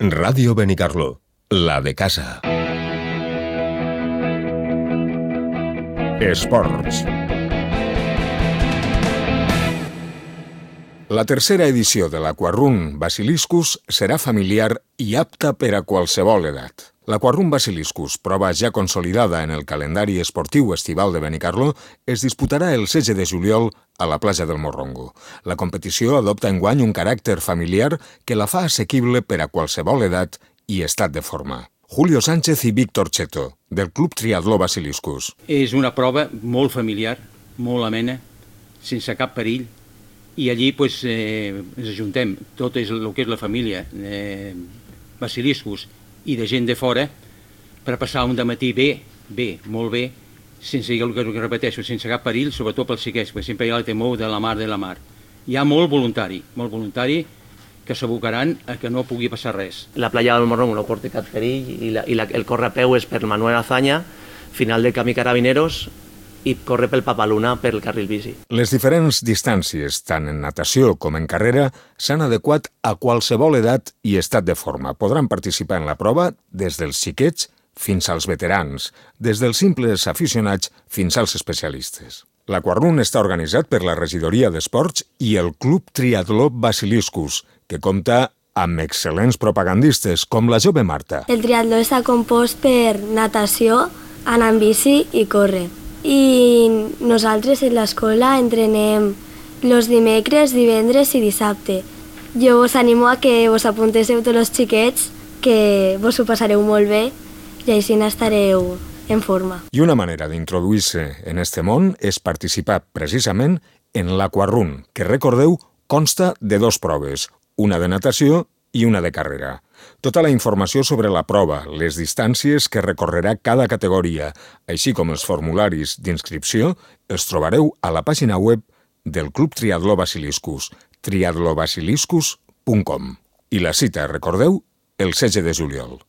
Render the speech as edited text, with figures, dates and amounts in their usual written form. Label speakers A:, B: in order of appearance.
A: Ràdio Benicarló, la de casa. Esports. La tercera edició de l'Aquarrun Basiliscus serà familiar i apta per a qualsevol edat. L'Aquarrun Basiliscus, prova ja consolidada en el calendari esportiu estival de Benicarló, es disputarà el 16 de juliol a la platja del Morrongo. La competició adopta enguany un caràcter familiar que la fa assequible per a qualsevol edat i estat de forma. Julio Sánchez i Víctor Cheto, del Club Triatló Basiliscus.
B: És una prova molt familiar, molt amena, sense cap perill, i allí ens ajuntem, tot és el que és la família Basiliscus i de gent de fora, per passar un dematí molt bé, sense, el que repeteixo, sense cap perill, sobretot pels xiquets, perquè sempre hi ha el temor de la mar. Hi ha molt voluntari que s'abocaran a que no pugui passar res.
C: La platja del Morrongo no porta cap perill i el córrer a peu és per Manuel Azaña, final del camí Carabineros, i corre pel Papaluna pel carril bici.
A: Les diferents distàncies, tant en natació com en carrera, s'han adequat a qualsevol edat i estat de forma. Podran participar en la prova des dels xiquets fins als veterans, des dels simples aficionats fins als especialistes. L'Aquarrun està organitzat per la Regidoria d'Esports i el Club Triatló Basiliscus, que compta amb excel·lents propagandistes, com la jove Marta.
D: El triatló està compost per natació, anar en bici i córrer. I nosaltres en l'escola entrenem els dimecres, divendres i dissabte. Jo us animo a que vos apunteu tots els xiquets, que vos ho passareu molt bé i així estareu en forma.
A: I una manera d'introduir-se en este món és participar precisament en l'Aquarrun, que recordeu consta de 2 proves, una de natació i una de carrera. Tota la informació sobre la prova, les distàncies que recorrerà cada categoria, així com els formularis d'inscripció, els trobareu a la pàgina web del Club Triatló Basiliscus, triatlobasiliscus.com. I la cita, recordeu, el 16 de juliol.